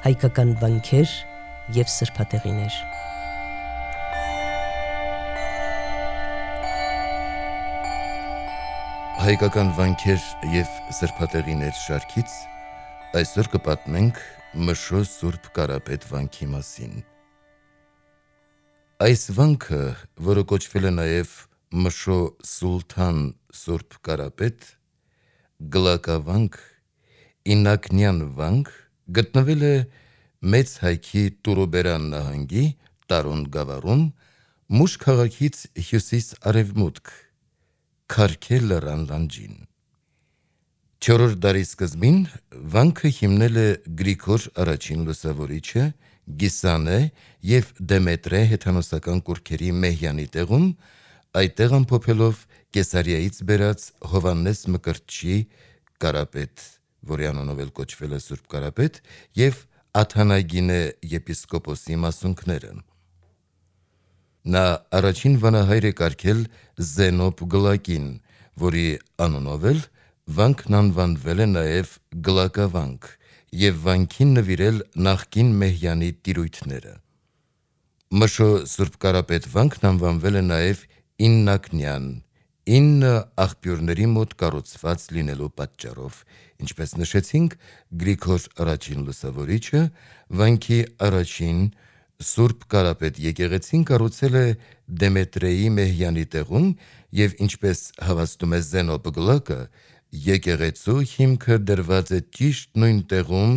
հայկական վանքեր և սրբատեղիներ։ Հայկական վանքեր և սրբատեղիներ շարքից այսօր կպատմենք Մշո Սուրբ Կարապետ վանքի մասին։ Այս վանքը, որը կոչվել է նաև Մշո Սուլթան Սուրբ Կարապետ, Գլակավանք, Ինակնյան վանք, գտնվել է Մեծ Հայքի Տուրոբերան նահանգի Տարոն գավառում, Մուշ քաղաքից հյուսիս-արևմուտք, Քարքե լեռան լանջին։ 4-րդ դարի սկզբին վանքը հիմնել է Գրիգոր առաջին Լուսավորիչը Գիսանե և Դեմետրե հեթանոսական կուռքերի Մեհյանի տեղում, այդտեղ ամփոփելով Կեսարիայից բերած Հովհաննես Մկրտչի Կարապետ, որի անունով էլ կոչվել է Սուրբ Կարապետ, և Աթանագինե եպիսկոպոսի մասունքները։ Նա առաջին վանահայր է կարգել Զենոբ Գլակին, որի անունով էլ վանքն անվանվել է նաև Գլակավանք, և վանքին նվիրել նախկին Մեհյանի տիրույթները։ Մշո Սուրբ Կարապետ վանքն անվանվել է նաև Իննակնյան, 9 աղբյուրների մոտ կառուցված լինելու պատճառով, ինչպես նշեցինք, Գրիգոր առաջին Լուսավորիչը վանքի առաջին Սուրբ Կարապետ եկեղեցին կառուցել է Դեմետրեի Մեհյանի տեղում և ինչպես հավաստում է Զենոբ Գլակը, եկեղեցու հիմքը դրված է ճիշտ նույն տեղում,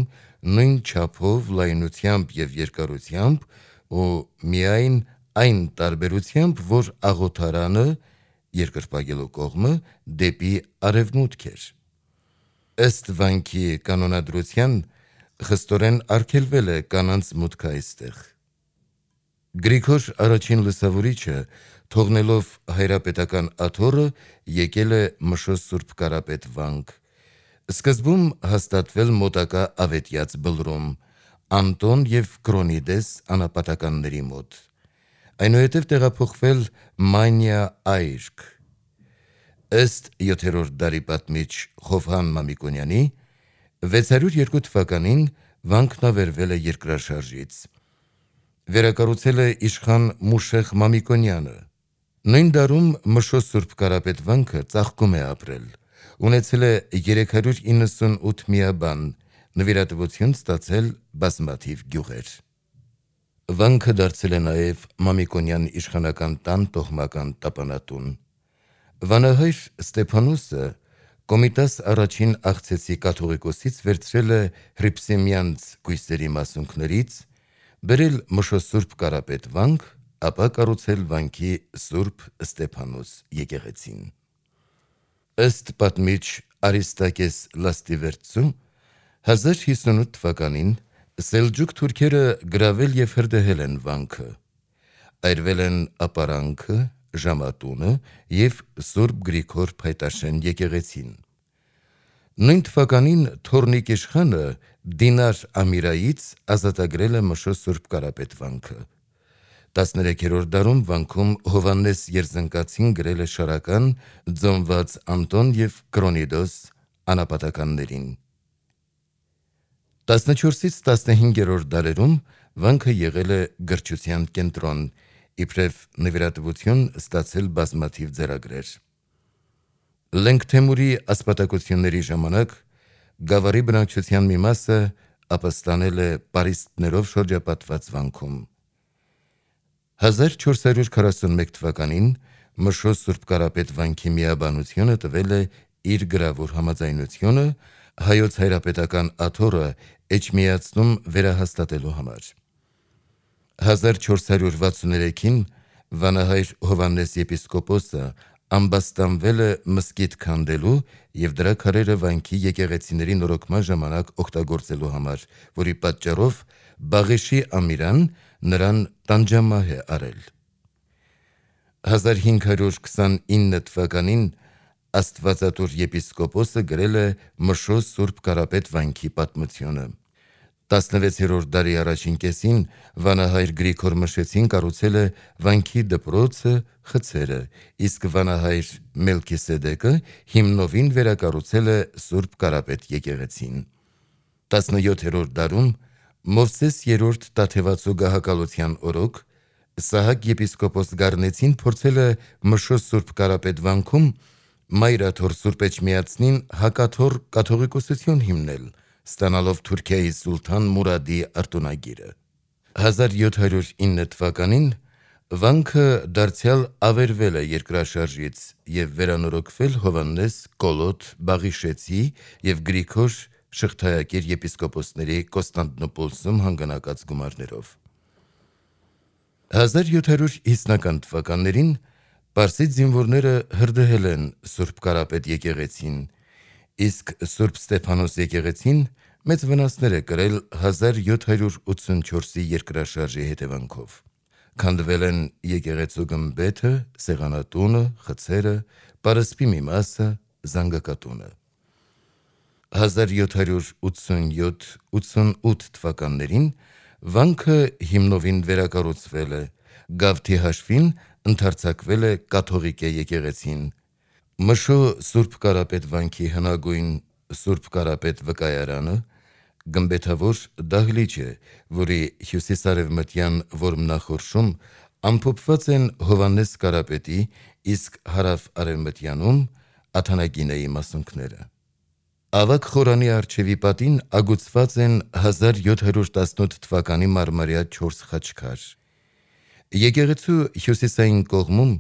նույն չափով, լայնությամբ և երկարությամբ ու միայն այն տարբերությամբ, որ աղոթարանը, երկրպագելու կողմը, դեպի արևմուտք էր։ Ըստ վանքի կանոնադրության խստորեն արգելվել է կանանց մուտքը այստեղ։ Գրիգոր առաջին Լուսավորիչը, թողնելով հայրապետական աթոռը, եկել է Մշո Սուրբ Կարապետ վանք, սկզբում հաստատվել մոտակա Ավետյաց բլրում, Անտոն և Կրոնիդես անապատականների մոտ, այնուհետև տեղափոխվել Մանյա այրք։ Ըստ 7-րդ դարի պատմիչ Խովհան Մամիկոնյանի, 602 թվականին վանքն ավերվել է երկրաշարժից։ Վերակառուցել է իշխան Մուշեղ Մամիկոնյանը։ Նույն դարում Մշո Սուրբ Կարապետ վանքը ծաղկում է ապրել, ունեցել է 398 միաբան, նվիրատվություն ստացել բազմաթիվ գյուղեր։ Վանքը դարձել է նաև Մամիկոնյան իշխանական տան տոհմական տապանատուն։ Վանահայր Ստեփանոսը Կոմիտաս առաջին աղցեցի կաթողիկոսից վերցրել է Հռիփսիմյանց կույսերի մասունքներից, բերել Մշո Սուրբ Կարապետ վանք, ապա կառուցել վանքի Սուրբ Ստեփանոս եկեղեցին։ Ըստ պատմիչ Արիստակես Լաստիվերծու, 1058 թվականին սելջուկ թուրքերը գրավել և հրդեհել են վանքը, այրվել են ապարանքը, ժամատունը և Սուրբ Գրիգոր Փայտաշեն եկեղեցին։ Նույն թվականին Թորնիկ իշխանը Դինար Ամիրայից ազատագրել է Մշո Սուրբ Կարապետ վանքը։ 13-րդ դարում վանքում Հովհաննես Երզնկացին գրել է շարական, ձոնված Անտոն և Կրոնիդոս անապատականներին։ 14-ից 15-րդ դարերում վանքը եղել է գրչության կենտրոն, իբրև նվիրատվություն ստացել բազմաթիվ ձեռագրեր։ Լենգթեմուրի ասպատակությունների ժամանակ գավառի բնակչության մի մասը ապստանել է պարիսպներով շրջապատված վանքում։ 1441 թվականին Մշո Սուրբ Կարապետ վանքի միաբանությունը տվել է իր գրավոր համաձայնությունը հայոց հայրապետական աթոռը էջմիածնում վերահաստատելու համար։ 1463-ին վանահայր Հովհաննես եպիսկոպոսը ամբաստանվել է մզկիթ քանդելու և դրա քարերը վանքի եկեղեցիների նորոգման ժամանակ օգտագործելու համար, որի պատճառով Բաղեշի Ամիրան նրան տանջամահ է արել։ 1529 թվականին Աստվածատուր եպիսկոպոսը գրել է Մշո Սուրբ Կարապետ վանքի պատմությունը։ 16-րդ դարի առաջին կեսին վանահայր Գրիգոր Մշեցին կառուցել է վանքի դպրոցը, խցերը, իսկ վանահայր Մելքիսեդեկը հիմնովին վերակառուցել է Սուրբ Կարապետ եկեղեցին։ 17-րդ դարում Մովսես երրորդ Տաթևացու գահակալության օրոք Սահակ եպիսկոպոս Գառնեցին փորձել է Մշո Սուրբ Կարապետ վանքում Մայրաթոր Սուրբ Էջմիածնին հակաթոռ կաթողիկոսություն հիմնել, ստանալով Թուրքիայի սուլթան Մուրադի արտոնագիրը։ 1709 թվականին վանքը դարձյալ ավերվել է երկրաշարժից և վերանորոգվել Հովհաննես Կոլոտ Բաղիշեցի և Գրիգոր Շղթայակիր եպիսկոպոսների Կոստանդնուպոլսում հանգանակած գումարներով։ 1750-ական թվականներին պարսից զինվորները հրդեհել են Սուրբ Կարապետ եկեղեցին, իսկ Սուրբ Ստեփանոս եկեղեցին մեծ վնասներ է կրել 1784-ի երկրաշարժի հետևանքով։ Քանդվել են եկեղեցու գմբեթը, սեղանատունը, խցերը, պարսպի մի մասը, զանգակատունը։ 1787-88 թվականներին վանքը հիմնովին վերակառուցվել է, գավթի հաշվին ընդարձակվել է կաթողիկե եկեղեցին։ Մշո Սուրբ Կարապետ վանքի հնագույն Սուրբ Կարապետ վկայարանը գմբեթավոր դահլիճ է, որի հյուսիսարևմտյան որմնախորշում ամփոփված են Հովհաննես Կարապետի, իսկ հարավ-արևմտյանում Աթանագինեի մասունքները։ Ավագ խորանի առջևի պատին ագուցված են 1718 թվականի մարմարյա 4 խաչքար։ Եկեղեցու հյուսիսային կողմում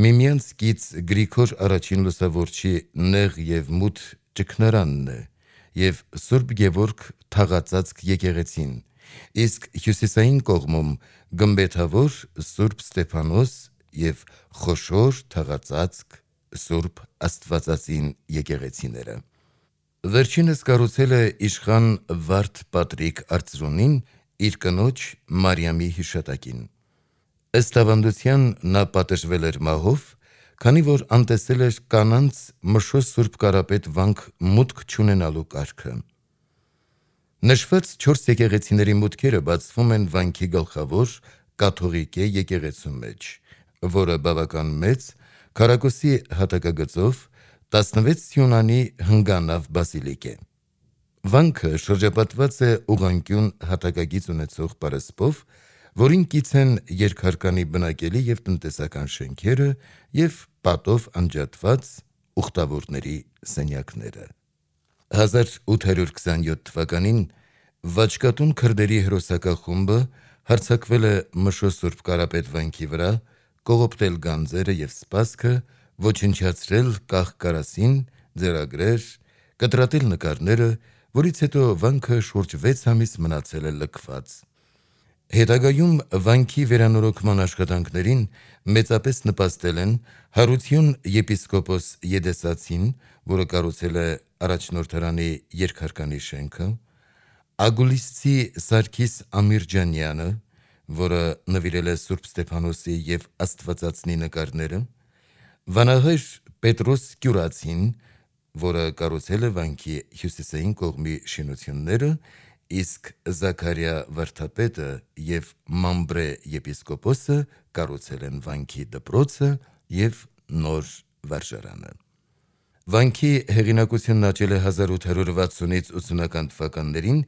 միմյանց կից Գրիգոր առաջին լուսավորչի նեղ և մութ ճգնարանն է և Սուրբ Գևորգ թաղածածկ եկեղեցին, իսկ հյուսիսային կողմում գմբեթավոր Սուրբ Ստեփանոս և խոշոր թաղածածկ Սուրբ Աստվածածին եկեղեցիները։ Վերջինս կառուցել է իշխան Վարդ Պատրիկ Արծրունին իր կնոջ Մարիամի հիշատակին։ Ըստ ավանդության նա պատժվել էր մահով, քանի որ անտեսել էր կանանց Մշո Սուրբ Կարապետ վանք մուտք չունենալու կարգը։ Նշված 4 եկեղեցիների մուտքերը բացվում են վանքի գլխավոր կաթողիկե եկեղեցու մեջ, որը բավական մեծ, քառակուսի հատակագծով 16 սյունանի հնգանավ բազիլիկ է։ Վանքը շրջապատված է ուղղանկյուն հատակագիծ ունեցող պարսպով, որին կից են երկհարկանի բնակելի և տնտեսական շենքերը և պատով անջատված ուխտավորների սենյակները։ 1827 թվականին Վաչկատուն քրդերի հրոսակախումբը հարձակվել է Մշո Սուրբ Կարապետ վանքի վրա, կողոպտել գանձերը և սպասքը, ոչնչացրել կախ-կարասին, ձեռագրեր, կտրատել նկարները, որից հետո վանքը շուրջ 6 ամիս մնացել է լքված։ Հետագայում վանքի վերանորոգման աշխատանքներին մեծապես նպաստել են Հարություն եպիսկոպոս Եդեսացին, որը կառուցել է առաջնորդարանի երկհարկանի շենքը, Ագուլիսցի Սարգիս Ամիրջանյանը, որը նվիրել է Սուրբ Ստեփանոսի և Աստվածածնի նկարները, վանահայր Պետրոս Կյուրացին, որը կառուցել է վանքի հյուսիսային կողմի շինությունները, իսկ Զաքարյա Վարդապետը և Մամբրե եպիսկոպոսը կառուցել են վանքի դպրոցը և նոր վարժարանը։ Վանքի հեղինակությունն աճել է 1860-ից 80-ական թվականներին,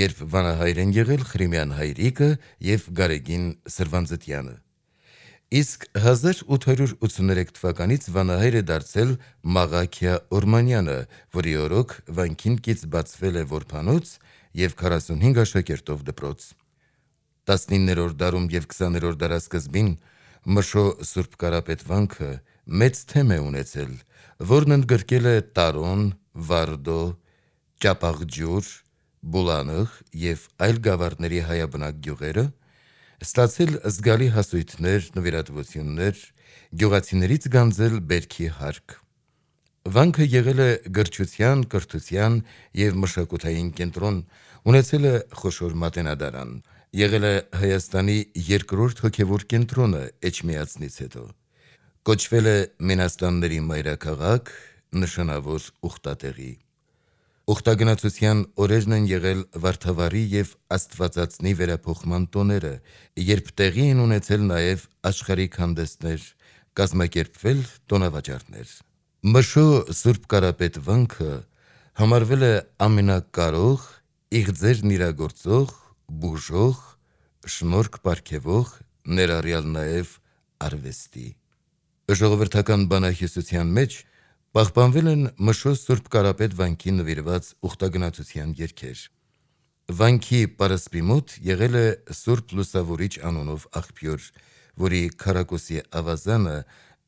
երբ վանահայր են եղել Խրիմյան Հայրիկը և Գարեգին Սրվանձտյանը։ Իսկ 1883 թվականից վանահայր է դարձել Մաղաքիա Օրմանյանը, որի օրոք վանքին կից բացվել է որբանոց և 45 աշակերտով դպրոց։ 19-րդ դարում և 20-րդ դարասկզբին Մշո Սուրբ Կարապետ վանքը մեծ թեմ է ունեցել, որն ընդգրկել է Տարոն, Վարդո, Ճապաղջուր, Բուլանըղ և այլ գավառների հայաբնակ գյուղերը, ստացել զգալի հասույթներ, նվիրատվություններ, գյուղացիներից գանձել բերքի հարկ։ Վանքը եղել է գրչության, կրթության և մշակութային կենտրոն, ունեցել է խոշոր մատենադարան, եղել է Հայաստանի երկրորդ հոգևոր կենտրոնը Էջմիածնից հետո, կոչվել է Մենաստանների մայրաքաղաք, նշանավոր ուխտատեղի։ Ուխտագնացության օրերն են եղել Վարդավառի և Աստվածածնի վերափոխման տոները, երբ տեղի են ունեցել նաև աշխարհիկ հանդեսներ, կազմակերպվել տոնավաճառներ։ Մշո Սուրբ Կարապետ վանքը համարվել է ամենակարող, իղձերն իրագործող բուժող, շնորհք պարգևող, ներառյալ նաև արվեստի։ Ժողովրդական բանահյուսության մեջ պահպանվել են Մշոս Սուրբ Կարապետ վանքի նվիրված ուխտագնացության երգեր։ Վանքի պարսպի մոտ եղել է Սուրբ Լուսավորիչ անունով աղբյուր, որի քառակուսի ավազանը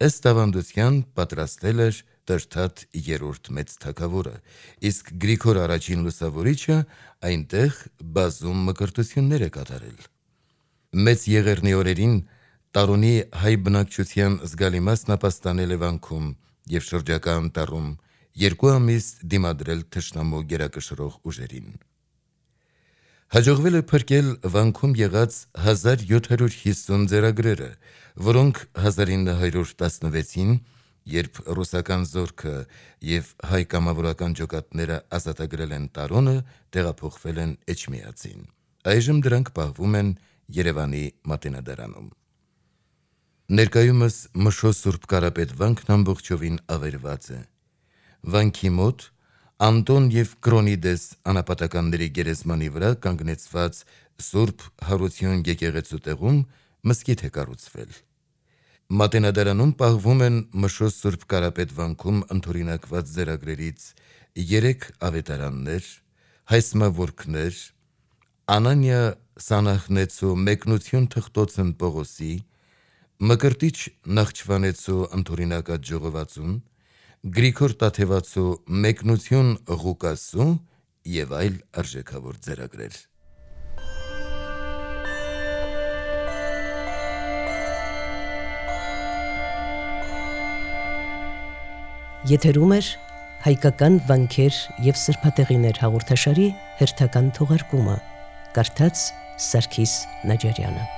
ըստ ավանդության պատրաստել էր Տրթատ III մեծ թագավորը, իսկ Գրիգոր առաջին Լուսավորիչը այնտեղ բազում մկրտություններ է կատարել։ Մեծ Եղեռնի օրերին Տարոնի հայ բնակչության զգալի մասն ապաստանել է վանքում և շրջակա անտառում 2 ամիս դիմադրել թշնամու գերակշռող ուժերին։ Հաջողվել է փրկել վանքում եղած 1750 ձեռագրերը, որոնք 1916-ին, երբ ռուսական զորքը և հայ կամավորական ջոկատները ազատագրել են Տարոնը, տեղափոխվել են Էջմիածին։ Այժմ դրանք պահվում են Երևանի Մատենադարանում։ Ներկայումս Մշոս Սուրբ Կարապետ վանքն ամբողջովին ավերված է։ Վանքի մոտ Անտոն և Կրոնիդես անապատականների գերեզմանի վրա կանգնեցված Սուրբ Հարություն եկեղեցու տեղում մզկիթ է կառուցվել։ Մատենադարանում պահվում են Մշոս Սուրբ Կարապետ վանքում ընդօրինակված ձեռագրերից 3 ավետարաններ, հայսմավորքներ, Անանիա Սանախնեցու մեկնություն թղթոցն Պողոսի, Մկրտիչ Նախճվանեցու ընդօրինակած ժողովածուն, Գրիգոր Տաթևացու մեկնություն Ղուկասու և այլ արժեքավոր ձեռագրեր։ Եթերում էր հայկական վանքեր և սրբատեղիներ հաղորդաշարի հերթական թողարկումը, կարդաց Սարգիս Նաջարյանը։